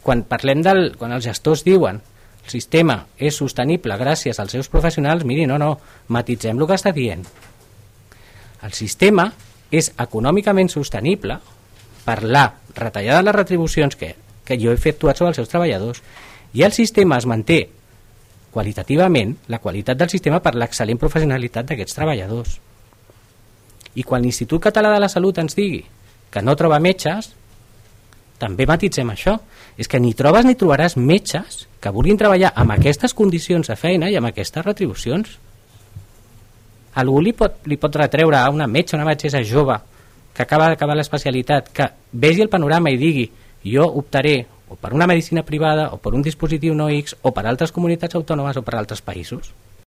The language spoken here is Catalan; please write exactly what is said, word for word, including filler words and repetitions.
quan parlem del... quan els gestors diuen el sistema és sostenible gràcies als seus professionals, miri, no, no, matitzem el que està dient. El sistema és econòmicament sostenible per la retallada de les retribucions que, que jo he efectuat sobre els seus treballadors, i el sistema es manté qualitativament, la qualitat del sistema per l'excel·lent professionalitat d'aquests treballadors. I quan l'Institut Català de la Salut ens digui que no troba metges, també matitzem això. És que ni trobes ni trobaràs metges que vulguin treballar amb aquestes condicions de feina i amb aquestes retribucions. Algú li pot, li pot retreure a una metge, una metgessa jove que acaba d'acabar l'especialitat, que vegi el panorama i digui jo optaré o per una medicina privada o per un dispositiu no X o per altres comunitats autònomes o per altres països.